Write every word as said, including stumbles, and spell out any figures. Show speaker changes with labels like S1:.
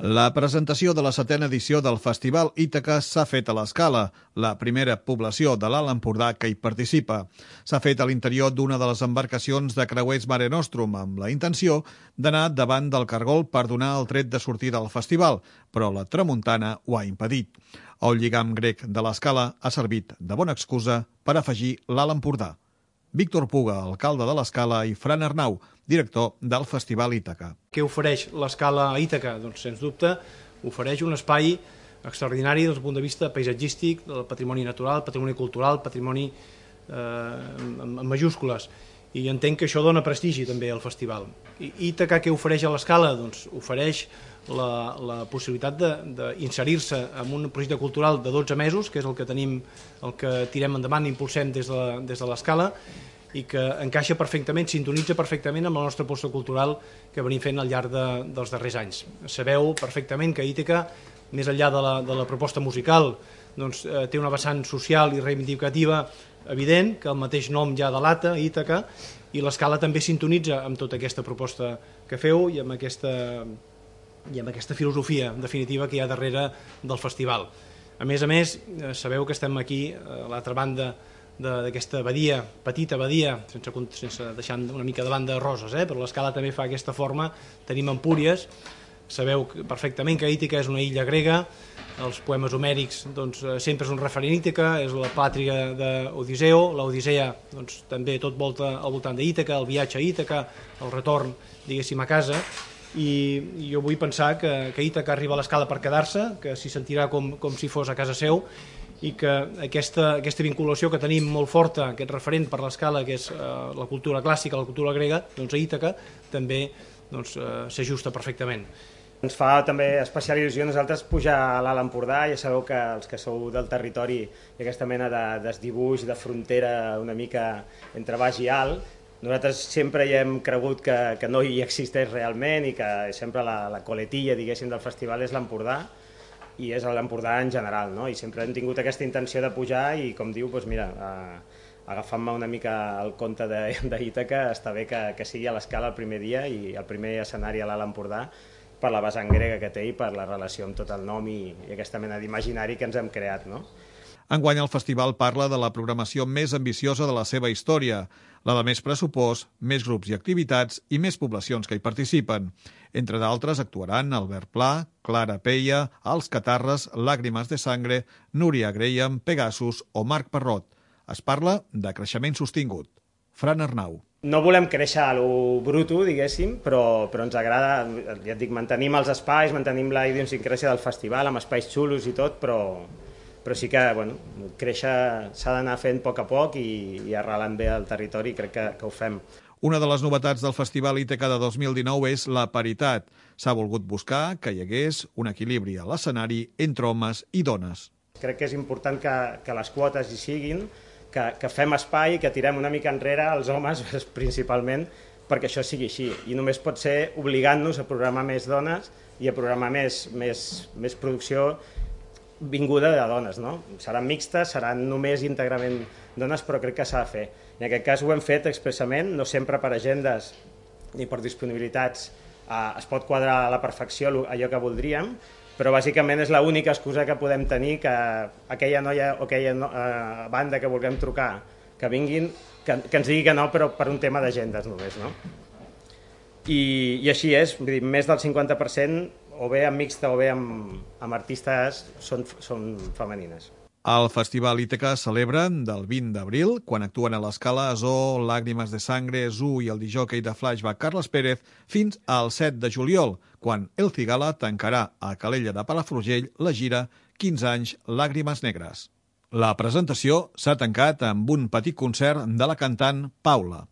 S1: La presentació de la setena edició del Festival Ítaca s'ha fet a l'Escala, la primera població de l'Alt Empordà que hi participa. S'ha fet a l'interior d'una de les embarcacions de creuers Mare Nostrum, amb la intenció d'anar davant del cargol per donar el tret de sortida al festival, però la tramuntana ho ha impedit. El lligam grec de l'Escala ha servit de bona excusa per afegir l'Alt Empordà. Víctor Puga, alcalde de l'Escala, i Fran Arnau, director del Festival Ítaca.
S2: Què ofereix l'Escala a Ítaca? Doncs, sens dubte, ofereix un espai extraordinari des del punt de vista paisatgístic, del patrimoni natural, patrimoni cultural, patrimoni eh, en majúscules. I entenc que això dona prestigi també al festival. I Ítaca què ofereix a l'Escala? Doncs ofereix la, la possibilitat d'inserir-se en un projecte cultural de dotze mesos, que és el que tenim, el que tirem endavant i impulsem des de, des de l'Escala, i que encaixa perfectament, sintonitza perfectament amb la nostra aposta cultural que venim fent al llarg de, dels darrers anys. Sabeu perfectament que Ítaca, més enllà de la, de la proposta musical, doncs, eh, té una vessant social i reivindicativa evident, que el mateix nom ja delata, Ítaca, i l'Escala també sintonitza amb tota aquesta proposta que feu i amb aquesta, i amb aquesta filosofia definitiva que hi ha darrere del festival. A més a més, eh, sabeu que estem aquí a l'altra banda d'aquesta badia, petita badia, sense, sense deixant una mica de banda de roses, eh? Però l'Escala també fa aquesta forma. Tenim Empúries, sabeu perfectament que Ítaca és una illa grega, els poemes homèrics doncs, sempre és un referent Ítaca, és la pàtria d'Odisseu, l'Odissea doncs, també tot volta al voltant d'Ítaca, el viatge a Ítaca, el retorn, diguéssim, a casa, i jo vull pensar que, que Ítaca arriba a l'Escala per quedar-se, que s'hi sentirà com, com si fos a casa seu, i que aquesta, aquesta vinculació que tenim molt forta, aquest referent per l'Escala, que és eh, la cultura clàssica, la cultura grega, doncs a Ítaca també doncs, eh, s'ajusta perfectament.
S3: Ens fa també especial il·lusió nosaltres pujar a l'Alt Empordà. Ja sabeu que els que sou del territori hi ha aquesta mena de desdibuix, de frontera una mica entre baix i alt. Nosaltres sempre hi hem cregut que, que no hi existeix realment i que sempre la, la coletilla, diguéssim, del festival és l'Empordà, i és l'Empordà en general, no? I sempre hem tingut aquesta intenció de pujar i, com diu, doncs mira, eh, agafant-me una mica el conte d'Ítaca, està bé que, que sigui a l'Escala el primer dia i el primer escenari a l'Alt Empordà per la vessant grega que té i per la relació amb tot el nom i, i aquesta mena d'imaginari que ens hem creat, no?
S1: Enguany el festival parla de la programació més ambiciosa de la seva història, la de més pressupost, més grups i activitats i més poblacions que hi participen. Entre d'altres actuaran Albert Pla, Clara Peia, Els Catarres, Làgrimes de Sangre, Núria Graham, Pegasus o Marc Parrot. Es parla de creixement sostingut. Fran Arnau.
S3: No volem créixer a lo bruto, diguéssim, però, però ens agrada, ja et dic, mantenim els espais, mantenim la idiosincràsia del festival, amb espais xulos i tot, però, però sí que bueno, créixer s'ha d'anar fent a poc a poc i, i arrelant bé al territori, crec que, que ho fem.
S1: Una de les novetats del Festival Ítaca de dos mil dinou és la paritat. S'ha volgut buscar que hi hagués un equilibri a l'escenari entre homes i dones.
S3: Crec que és important que, que les quotes hi siguin, que, que fem espai, que tirem una mica enrere els homes principalment, perquè això sigui així. I només pot ser obligant-nos a programar més dones i a programar més, més, més producció vinguda de dones, no? Seran mixtes, seran només íntegrament dones, però crec que s'ha de fer. I en aquest cas ho hem fet expressament, no sempre per agendes ni per disponibilitats eh, es pot quadrar a la perfecció allò que voldríem, però bàsicament és l'única excusa que podem tenir que aquella noia o aquella no, eh, banda que vulguem trucar, que vinguin, que, que ens digui que no, però per un tema d'agendes només, no? I, i així és, vull dir, més del cinquanta per cent o bé amb mixta o bé amb, amb artistes són, són femenines.
S1: El Festival Ítaca celebra del vint d'abril, quan actuen a l'Escala, Zoo, Làgrimes de Sangre, Zoo i el disjòquei de Flashback Carles Pérez, fins al set de juliol, quan El Cigala tancarà a Calella de Palafrugell la gira quinze anys Làgrimes Negres. La presentació s'ha tancat amb un petit concert de la cantant Paula.